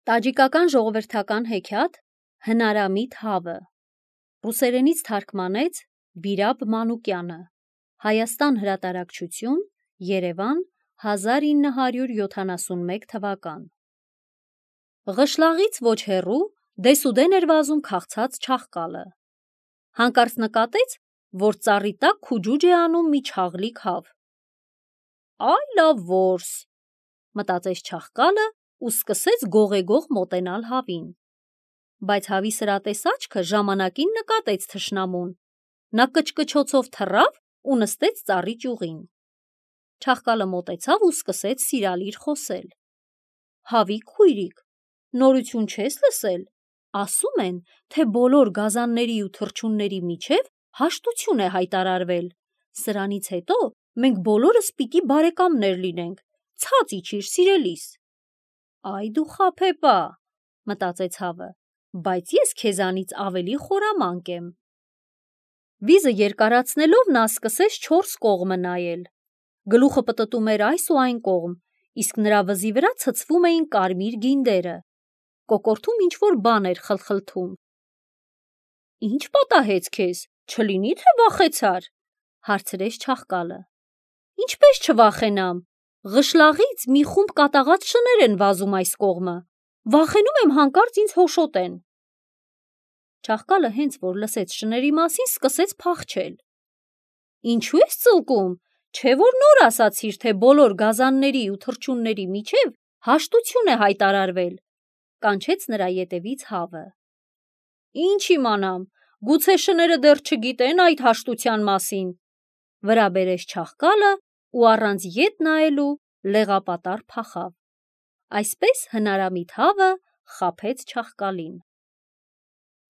Տաջիկական ժողովրդական հեքիաթ Հնարամիտ հավը ռուսերենից թարգմանեց Բիրապ Մանուկյանը Հայաստան հրատարակչություն Երևան 1971 թվական Ղշլաղից ոչ հեռու դեսուդեն էր վազում քաղցած չաղկալը հանկարծ նկատեց, որ ծառի տակ քուջուջ է անում մի չաղլիկ հավ «Այ լավ որս» մտածեց չաղկալը ու սկսեց գողեգող մոտենալ հավին, բայց հավի սրատես աչքը ժամանակին նկատեց թշնամուն, նա կչկչոցով թռավ ու նստեց ծառի ճյուղին, չաղկալը մոտեցավ ու սկսեց սիրալիր խոսել. «Հավի քույրիկ, նորություն չես լսել, ասում են, թե բոլոր գազանների ու թռչունների միջև հաշտություն է հայտարարվել, սրանից հետո մենք բոլորս պիտի բարեկամներ լինենք, ցած իջիր սիրելիս»։ «Այ դու խաբեբա», մտածեց հավը, բայց ես քեզանից ավելի խորամանկ եմ։ Վիզը երկարացնելով նա սկսեց 4 կողմը նայել, գլուխը պտտում էր այս ու այն կողմ, իսկ նրա վզի վրա ցցվում էին կարմիր գինդերը, կոկորդում ինչ-որ բան էր խլխլթում։ «Ինչ պատահեց քեզ, չլինի թե վախեցար», հարցրեց չաղկալը։ «Ինչպես չվախենամ, Ղշլաղից մի խումբ կատաղած շներ են վազում այս կողմը, վախենում եմ հանկարծ ինձ հոշոտեն»։ Չաղկալը հենց որ լսեց շների մասին, սկսեց փախչել։ «Ինչու ես ծլկում, չէ որ նոր ասացիր, թե բոլոր գազանների ու թռչունների միջև հաշտություն է հայտարարվել», կանչեց նրա ետևից հավը։ «Ինչ իմանամ, գուցե շները դեռ չգիտեն այդ հաշտության մասին», վրա բերեց չաղկալը ու առանց ետ նայելու լեղապատառ փախավ։ Այսպես Հնարամիտ հավը խաբեց չաղկալին։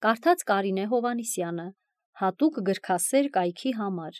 Կարդաց Կարինե Հովհաննիսյանը, հատուկ գրքասեր կայքի համար։